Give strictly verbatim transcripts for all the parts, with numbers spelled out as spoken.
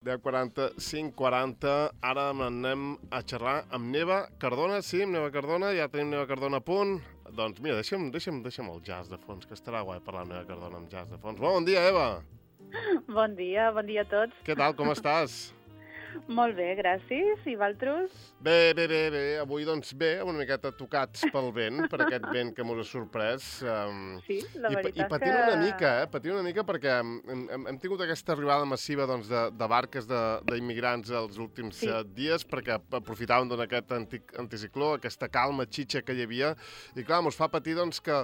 deu quaranta, cinc quaranta, ara anem a xerrar amb Neva Cardona. Sí, amb Neva Cardona, ja tenim Neva Cardona a punt. Doncs mira, deixa'm, deixa'm, deixa'm el jazz de fons, que estarà guai parlar amb Neva Cardona amb jazz de fons. Bon dia, Eva! Bon dia, bon dia a tots. Què tal, com estàs? Molt bé, gràcies. I vosaltres? Bé, bé, bé, bé. Avui, doncs, bé, una miqueta tocats pel vent, per aquest vent que mos ha sorprès. Um, sí, la veritat i, i patint que... una mica, eh? Patint una mica perquè hem, hem, hem tingut aquesta arribada massiva doncs, de, de barques d'immigrants els últims sí. uh, dies, perquè aprofitaven d'aquest antic, anticicló, aquesta calma xitxa que hi havia, i clar, mos fa patir doncs, que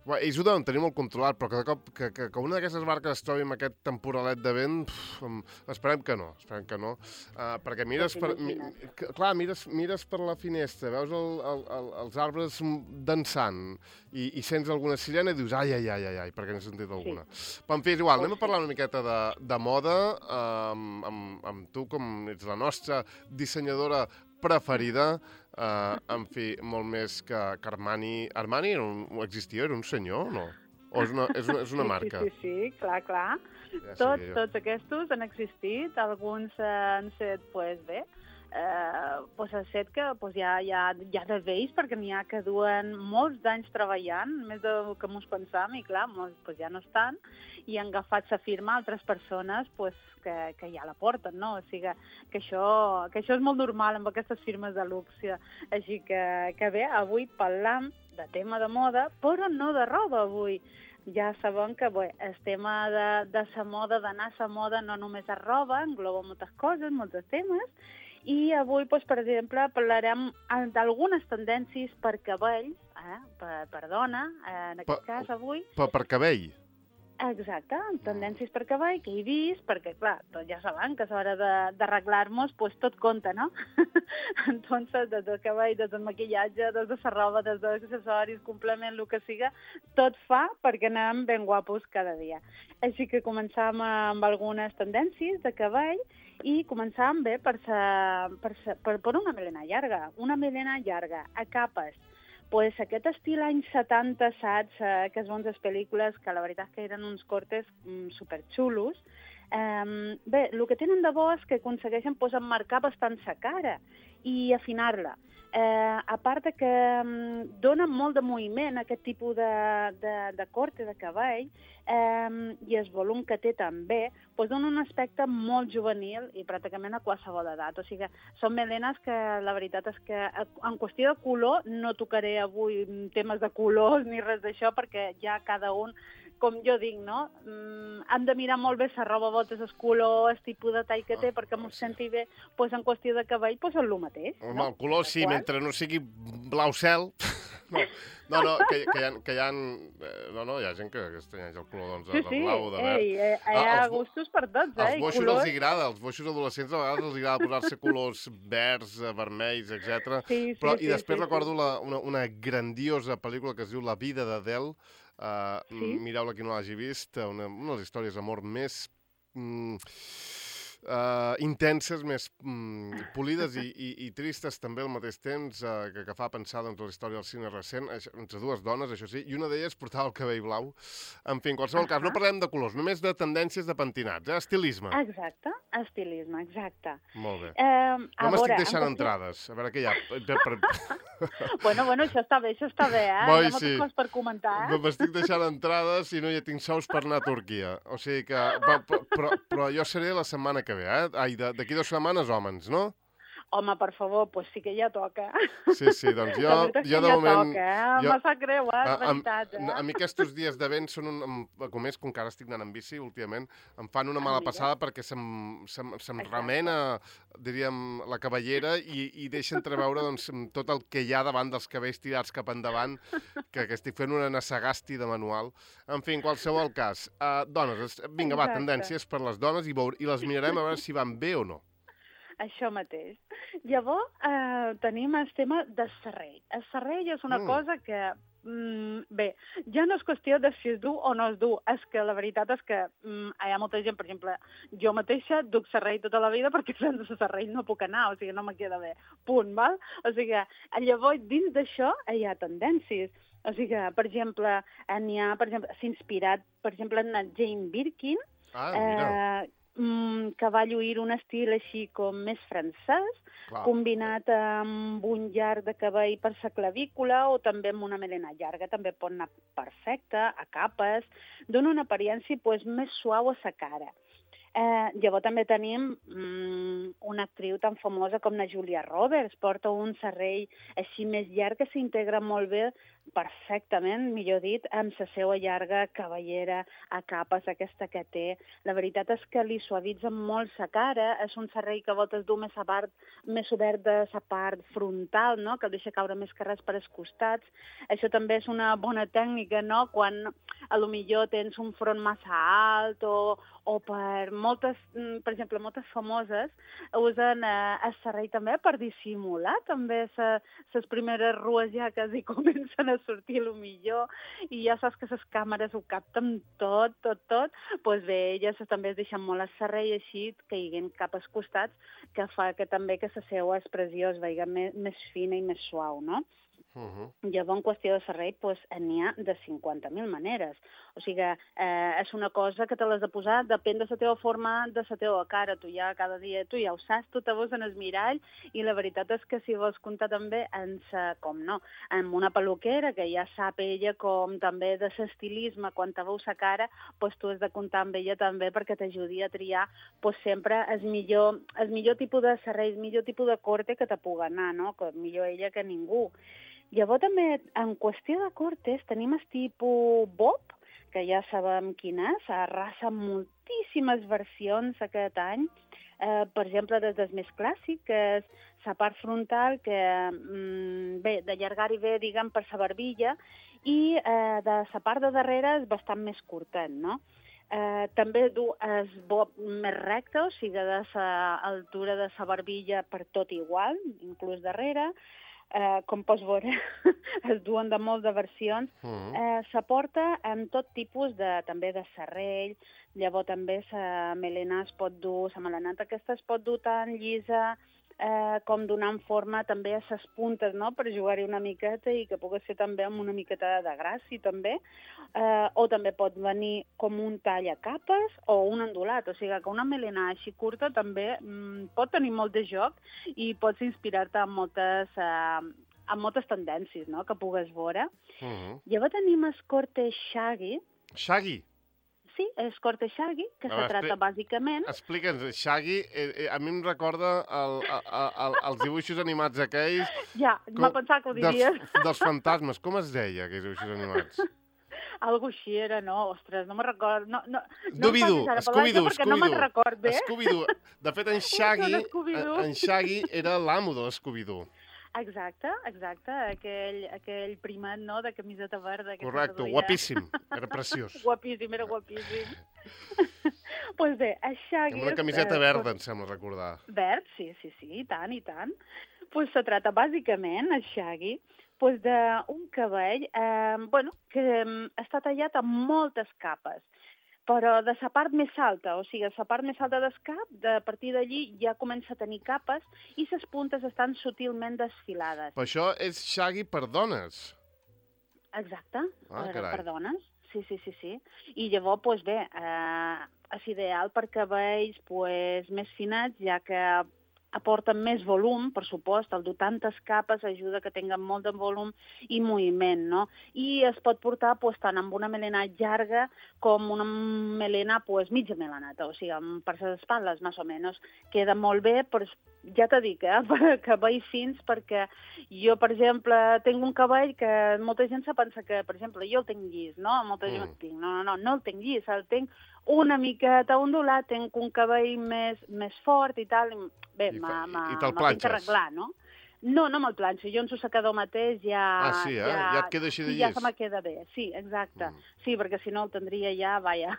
bé, ells ho deuen tenir molt controlat, però que de cop que, que, que una d'aquestes barques es trobi amb aquest temporalet de vent, pf, esperem que no, esperem que no. Uh, perquè mires per, mi, clar, mires, mires per la finestra, veus el, el, el, els arbres dansant i, i sents alguna sirena i dius ai, ai, ai, ai, ai perquè n'he sentit alguna. Sí. Però en fi, és igual, anem a parlar una miqueta de, de moda amb, amb, amb tu, com ets la nostra dissenyadora preferida, uh, en fi, molt més que, que Armani. Armani era un, existia, era un senyor, no? O és una, és una, és una marca? Sí, sí, sí, clar, clar. Ja tots, tots aquests han existit, alguns han set, pues bé, eh, pues han set que pues, ja, ja, ja de vells, perquè n'hi ha que duen molts d'anys treballant, més del que ens pensam, i clar, molts pues, ja no estan, i han agafat la firma altres persones pues, que, que ja la porten, no? O sigui que això, que això és molt normal amb aquestes firmes de luxe. Així que, que bé, avui parlam de tema de moda, però no de roba avui. Ja sabem que bé, el tema de, de la moda, d'anar a la moda, no només és roba, engloba moltes coses, molts temes, i avui, doncs, per exemple, parlarem d'algunes tendències per cabell, eh? per, per dona, eh? en aquest pa, cas avui. Per, per cabell? Exacte, tendències per cabell que he vist, perquè, clar, tots ja saben que a l'hora d'arreglar-nos, pues, tot compta, no? Entonces, des del cabell, des del maquillatge, des de la roba, des dels accessoris, complement, el que siga, tot fa perquè anem ben guapos cada dia. Així que començam amb algunes tendències de cabell i començam bé per, sa, per, sa, per, per una melena llarga, una melena llarga, a capes. Pues aquest estil anys setanta, saps, eh, que es veuen les pel·lícules, que la veritat que eren uns cortes mm, superxulos. Eh, bé, el que tenen de bo és que aconsegueixen pues, emmarcar bastant sa cara i afinar-la. Eh, a part de que um, dona molt de moviment aquest tipus de, de, de corte de cabell eh, i el volum que té també, pues dona un aspecte molt juvenil i pràcticament a qualsevol edat. O sigui, són melenes que la veritat és que en qüestió de color no tocaré avui temes de colors ni res d'això perquè ja cada un, com jo dic, no? Mm, han de mirar molt bé la roba, botes, el color, el tipus de tall que té, oh, perquè m'ho senti bé, pues, en qüestió de cabell, pues, és el mateix. Home, no? El color sí, qual? Mentre no sigui blau cel. No, no, no que, que, hi ha, que hi ha... No, no, hi ha gent que, que es tenyeix el color doncs, sí, de blau, de verd. Sí, eh, hi ha ah, gustos per tots, eh? Als boixos colors... els agrada, als boixos adolescents a vegades els agrada posar-se colors verds, vermells, etcètera. Sí, sí, Però, I després sí, recordo sí. La, una, una grandiosa pel·lícula que es diu La vida d'Adele. Uh, sí? Mireu-la qui no l'hagi vist, una, una de les històries d'amor més mm, uh, intenses, més mm, polides i, i, i tristes també al mateix temps, uh, que, que fa pensar doncs, la història del cine recent, entre dues dones, això sí, i una d'elles portava el cabell blau. En fi, en qualsevol uh -huh. cas, no parlem de colors, només de tendències de pentinats, eh? Estilisme. Exacte, estilisme, exacte. Molt bé. Eh, no m'estic deixant entrades, a veure què hi ha. Per, per... bueno, bueno, això està bé, això està bé, eh? Boi, hi ha moltes sí. coses per comentar, eh? M'estic deixant entrades i no hi tinc sous per anar a Turquia. O sigui que... Però, però, però jo seré la setmana que ve, eh? Ai, d'aquí dues setmanes, hòmens, no? Home, per favor, pues sí que ja toca. Sí, sí, doncs jo, jo de ja moment... Toca, eh? Jo, me sap greu, eh? És veritat, eh? A, a mi aquests dies de vent són un... Com és, com que ara estic anant en bici últimament, em fan una mala passada perquè se'm, se'm, se'm remena, diríem, la cabellera i, i deixa entreveure doncs, tot el que hi ha davant dels cabells tirats cap endavant, que, que estic fent una nassagasti de manual. En fi, en qualsevol cas. Uh, dones, vinga, va, tendències per les dones i, veure, i les mirarem a veure si van bé o no. Això mateix. Llavors, eh, tenim el tema del serrell. El serrell és una mm. cosa que, mm, bé, ja no és qüestió de si es du o no es du, és que la veritat és que mm, hi ha molta gent, per exemple, jo mateixa duc serrell tota la vida perquè sense serrell no puc anar, o sigui, no me queda bé, punt, val? O sigui, llavors, dins d'això hi ha tendències. O sigui, per exemple, n'hi ha, per exemple, s'ha inspirat, per exemple, en Jane Birkin, ah, mira. eh, mm, que va lluir un estil així com més francès, Clar. combinat amb un llarg de cabell per sa clavícula o també amb una melena llarga. També pot anar perfecte, a capes, dona una apariència pues, més suau a sa cara. Eh, llavors també tenim mm, una actriu tan famosa com la Julia Roberts, porta un serrell així més llarg que s'integra molt bé, perfectament, millor dit, amb la seva llarga cabellera a capes, aquesta que té. La veritat és que li suavitza molt sa cara, és un serrell que a voltes du més, a part, més obert de sa part frontal, no? Que el deixa caure més carrers per als costats. Això també és una bona tècnica, no? Quan a lo millor tens un front massa alt o, o per moltes, per exemple, moltes famoses usen eh, el serrell també per dissimular també les primeres rues ja que hi comencen a sortir a lo millor i ja saps que les càmeres ho capten tot, tot, tot. Doncs pues bé, elles també es deixen molt el serrell així que hi hagin cap als costats que fa que també que la seva expressió es vegi més, més fina i més suau, no? Uh -huh. Llavors, en qüestió de serrell, pues, n'hi ha de cinquanta mil maneres. O sigui, eh, és una cosa que te l'has de posar, depèn de la teva forma, de la teva cara. Tu ja cada dia, tu ja ho saps, tu te veus en el mirall i la veritat és que si vols comptar també en sa, com no, en una peluquera que ja sap ella com també de l'estilisme, quan te veus la cara, pues, tu has de comptar amb ella també perquè t'ajudi a triar pues, sempre el millor, el millor tipus de serrell, el millor tipus de corte que te pugui anar, no? Que millor ella que ningú. Llavors també, en qüestió de cortes, tenim el tipus bob, que ja sabem quin és, arrasa moltíssimes versions aquest any. Eh, per exemple, des del més clàssic, que és la part frontal, que mm, bé, d'allargar-hi bé, diguem, per la barbilla, i eh, de la part de darrere és bastant més curtet, no? Eh, també du el bob més recte, o sigui, de l'altura de la barbilla per tot igual, inclús darrere. Eh, com pots veure, es duen de molt de versions. Uh-huh. eh, s'aporta en tot tipus de, també de serrell, llavors també la melena es pot dur, la melenata aquesta es pot dur tant llisa eh, com donant forma també a les puntes, no?, per jugar-hi una miqueta i que pugui ser també amb una miqueta de gràcia, també. Eh, o també pot venir com un tall a capes o un ondulat, o sigui que una melena així curta també mm, pot tenir molt de joc i pots inspirar-te en moltes, eh, en moltes tendències, no?, que pugues veure. Uh-huh. Llavors tenim el corte shaggy. Shaggy? Sí, és corte shaggy, que No, se trata bàsicament... Explica'ns, Shaggy, eh, eh, a mi em recorda el, el, el, els dibuixos animats aquells... Ja, m'ha pensat que ho diries. Dels, dels fantasmes, com es deia, aquells dibuixos animats? Algo així era, no? Ostres, no me'n record. No, no, Scooby-Doo, no Scooby-Doo, perquè no me'n record bé. Scooby-Doo. De fet, en Shaggy, en Shaggy era l'amo de l'Scooby-Doo. Exacte, exacte, aquell, aquell primat, no?, de camiseta verda. Correcte, guapíssim, era preciós. Guapíssim, era guapíssim. Doncs pues bé, el Shaggy... Amb una camiseta eh, verda, pues, em sembla recordar. Verd, sí, sí, sí, i tant, i tant. Doncs pues se trata bàsicament, el Shaggy, pues d'un cabell eh, bueno, que eh, està tallat amb moltes capes, però de la part més alta, o sigui, la part més alta del cap, de a partir d'allí ja comença a tenir capes i les puntes estan sutilment desfilades. Però això és Shaggy per dones. Exacte, ah, per, per dones, sí, sí, sí, sí. I llavors, doncs bé, eh, és ideal per cabells pues, més finats, ja que aporten més volum, per supost, el dur tantes capes ajuda que tinguen molt de volum i moviment, no? I es pot portar pues, tant amb una melena llarga com una melena pues, mitja melenata, o sigui, per les espatlles, més o menys. Queda molt bé, però ja t'ho dic, eh, per cabells fins, perquè jo, per exemple, tinc un cabell que molta gent se pensa que, per exemple, jo el tinc llis, no? Molta gent mm. el tinc. No, no, no, no el tinc llis, el tinc una miqueta ondulat, tinc un cabell més, més fort i tal. Bé, m'ha tinc que arreglar, no? No, no me'l planxo. Jo en su secador mateix ja... Ah, sí, eh? Ja, ja et queda així de llis. Ja se me queda bé, sí, exacte. Mm. Sí, perquè si no el tindria ja, vaja,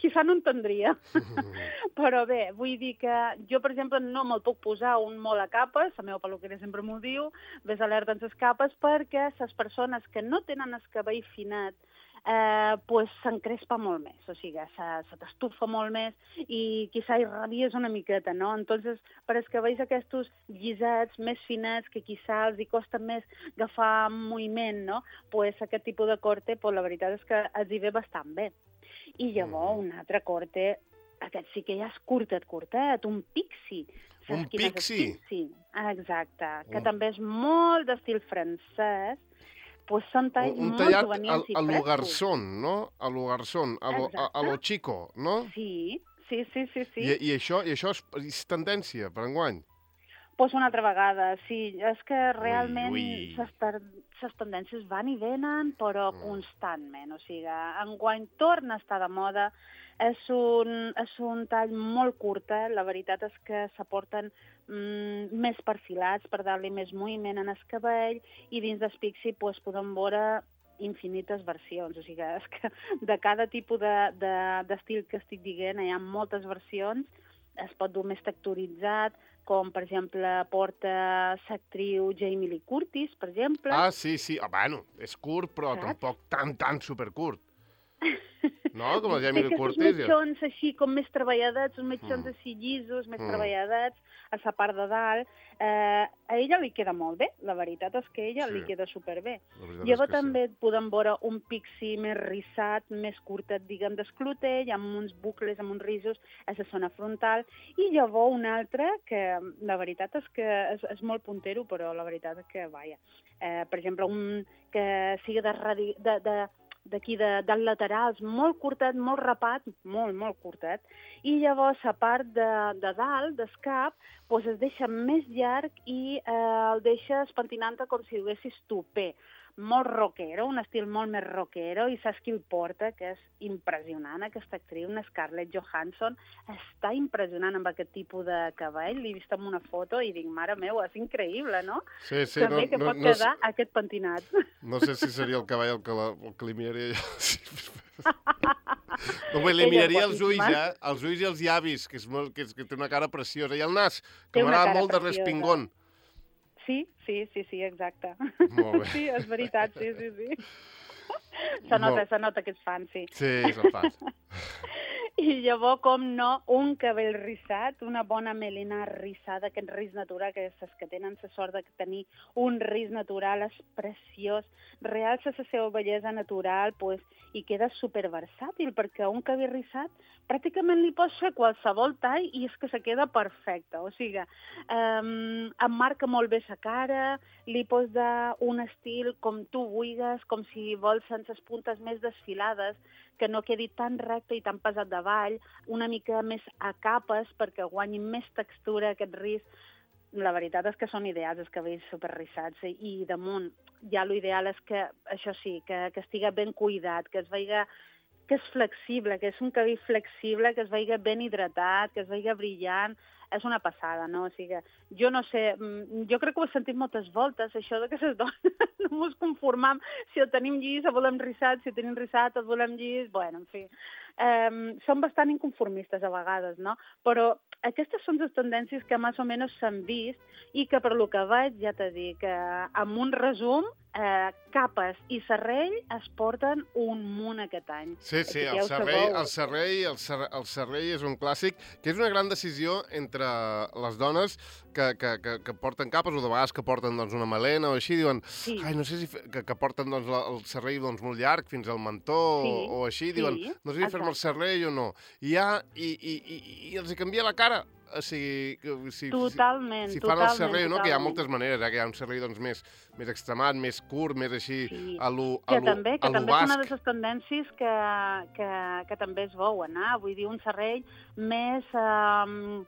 quizà no en tindria. Però bé, vull dir que jo, per exemple, no me'l puc posar un molt a capes, la meva peluquera sempre m'ho diu, ves alerta amb les capes, perquè les persones que no tenen el cabell finat eh, pues s'encrespa molt més, o sigui, se, se t'estufa molt més i quizà hi rabies una miqueta, no? Entonces, per als cabells aquests llisats, més finats, que quizà els hi costa més agafar moviment, no? Pues aquest tipus de corte, pues la veritat és que els hi ve bastant bé. I llavors, un altre corte aquest sí que ja és curtet, curtet, un pixi. Un pixi? Sí, exacte, que Un... també és molt d'estil francès, pues són talls un molt tallat juvenils i a lo frescos. garzón, no? A lo garzón, a lo, a, a lo chico, no? Sí, sí, sí, sí. sí. I, i, això, i això és, és tendència per enguany? Pues una altra vegada, sí. És que realment ui. les tendències van i venen, però Mm. constantment. O sigui, enguany torna a estar de moda. És un, és un tall molt curtet. La veritat és que s'aporten mm, més perfilats per dar-li més moviment en el cabell i dins del pixi pues, podem veure infinites versions. O sigui, és que de cada tipus d'estil de, de, que estic dient hi ha moltes versions. Es pot dur més texturitzat, com, per exemple, porta l'actriu Jamie Lee Curtis, per exemple. Ah, sí, sí. Ah, bueno, és curt, però Saps? tampoc tan, tan supercurt. No? Com el Jamie Lee Curtis. Sí, mitjons així, com més treballades, uns mitjons Mm. així llisos, més Mm. treballades, a la part de dalt. Eh, a ella li queda molt bé, la veritat és que a ella Sí. li queda superbé. La veritat és Llavors que també podem veure un pixi més rissat, més curtet, diguem, d'esclutell, amb uns bucles, amb uns risos a la zona frontal, i llavors un altre que la veritat és que és, és molt puntero, però la veritat és que, vaja, eh, per exemple, un que sigui de, radi, de, de d'aquí de, dels laterals, molt curtet, molt rapat, molt, molt curtet, i llavors la part de, de dalt, del cap, doncs es deixa més llarg i eh, el deixes pentinant com si duguessis tupé. Molt rockero, un estil molt més rockero, i saps qui el porta, que és impressionant, aquesta actriu, una Scarlett Johansson, està impressionant amb aquest tipus de cabell, l'he vist en una foto i dic, mare meva, és increïble, no? Sí, sí, També no, que no, pot no, quedar no, aquest pentinat. No sé si seria el cavall el que, la, el que li miraria jo. No, bé, li Ella miraria els ulls, guapíssima. eh? Els ulls i els llavis, que, és molt, que, és, que té una cara preciosa. I el nas, Té que una m'agrada cara molt de preciosa. respingón. Sí, sí, sí, sí, exacte. Molt bé. Sí, és veritat, sí, sí, sí. Se nota, Molt. se nota que ets fan, sí. Sí, se'n fa. I llavors, com no, un cabell rissat, una bona melena rissada, aquest ris natural, que és que tenen la sort de tenir un ris natural, és preciós, realça la seva bellesa natural, pues, i queda superversàtil, perquè un cabell rissat pràcticament li pots fer qualsevol tall i és que se queda perfecte. O sigui, um, emmarca molt bé la cara, li pots dar un estil com tu vulguis, com si vols sense les puntes més desfilades, que no quedi tan recte i tan pesat davall, una mica més a capes perquè guanyi més textura aquest ris. La veritat és que són ideals els cabells superrissats i, i damunt ja l'ideal és que, això sí, que, que estigui ben cuidat, que es veiga que és flexible, que és un cabell flexible, que es veiga ben hidratat, que es veiga brillant, és una passada, no? O sigui, jo no sé, jo crec que ho he sentit moltes voltes, això de que les dones no ens conformam si el tenim llis, el volem rissat, si el tenim rissat, el volem llis, bueno, en fi. Um, són bastant inconformistes a vegades, no? Però aquestes són les tendències que més o menys s'han vist i que per lo que veig, ja t'he dit, que amb un resum, eh, capes i serrell es porten un munt aquest any. Sí, sí, el Així que ja ho serrell, sabeu. el, serrell, el, serrell, el serrell és un clàssic, que és una gran decisió entre les dones que, que, que, que porten capes o de vegades que porten doncs, una melena o així, diuen, Sí. ai, no sé si fe, que, que porten doncs, la, el serrell doncs, molt llarg fins al mentó Sí, o, o així, sí, diuen, no sé si fer-me el exacte. serrell o no. I, ja, i, i, i, i els hi canvia la cara. O sigui, que si, Totalment, si, si fan el totalment, serrell, no? Que hi ha totalment. moltes maneres, eh? Que hi ha un serrell doncs, més, més extremat, més curt, més així, Sí. a lo, a Que lo, també, que a lo també és una de basc. les tendències que, que, que també es veuen, eh? Vull dir, un serrell més, eh,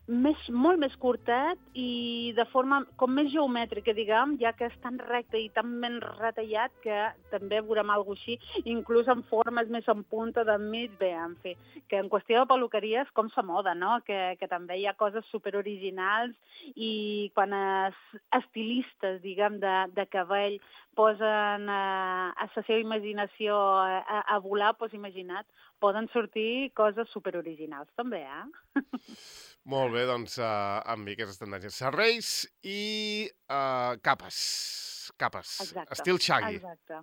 més, molt més curtet i de forma com més geomètrica, diguem, ja que és tan recte i tan ben retallat que també veurem alguna cosa així, inclús en formes més en punta d'enmig, bé, en fi, que en qüestió de peluqueria és com sa moda, no? Que, que també hi ha coses superoriginals i quan els estilistes, diguem, de, de cabell posen eh, a la seva imaginació a, a, a volar, doncs imagina't, poden sortir coses superoriginals també, eh? Molt bé, doncs uh, amb mi aquestes tendències. Serrells i uh, capes. Capes. Exacte. Estil Shaggy. Exacte.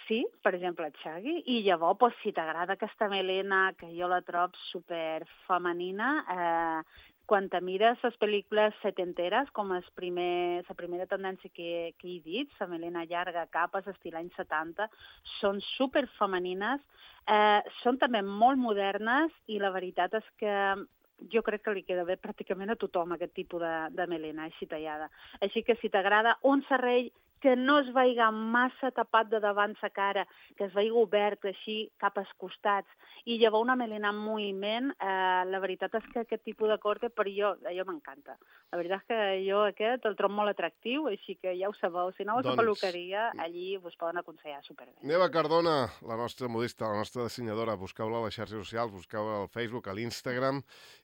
Sí, per exemple, el Shaggy. I llavors, doncs, si t'agrada aquesta melena, que jo la trobo super femenina, eh, quan te mires les pel·lícules setenteres, com el primer, la primera tendència que, que he dit, la melena llarga, capes, estil anys setanta, són superfemenines, eh, són també molt modernes i la veritat és que jo crec que li queda bé pràcticament a tothom aquest tipus de, de melena així tallada. Així que si t'agrada un serrell que no es veiga massa tapat de davant sa cara, que es veiga obert així cap als costats, i llevar una melena en moviment, eh, la veritat és que aquest tipus de corte per jo, jo m'encanta. La veritat és que jo aquest el trobo molt atractiu, així que ja ho sabeu, si no a la Doncs... peluqueria, allí us poden aconsellar superbé. Neva Cardona, la nostra modista, la nostra dissenyadora, busqueu-la a les xarxes socials, busqueu-la al Facebook, a l'Instagram,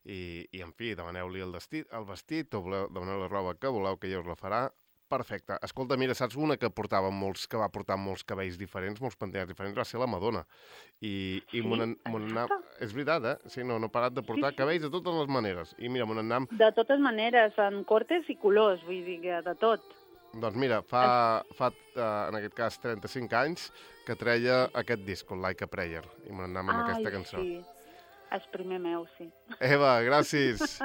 i, i en fi, demaneu-li el, vestit, el vestit o voleu, demaneu la roba que voleu, que ella us la farà. Perfecte. Escolta, mira, saps una que portava molts, que va portar molts cabells diferents, molts pentinats diferents, va ser la Madonna. I, i Sí? mon, mon nam... És veritat, eh? Sí, no, no ha parat de portar Sí, sí. cabells de totes les maneres. I mira, mon nam... De totes maneres, en cortes i colors, vull dir que de tot. Doncs mira, fa, fa uh, en aquest cas trenta-cinc anys que treia aquest disc, el Like a Prayer, i mon nam amb Ai, aquesta cançó. sí. És primer meu, sí. Eva, gràcies.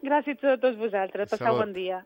Gràcies a tots vosaltres. Passeu Salut. bon dia.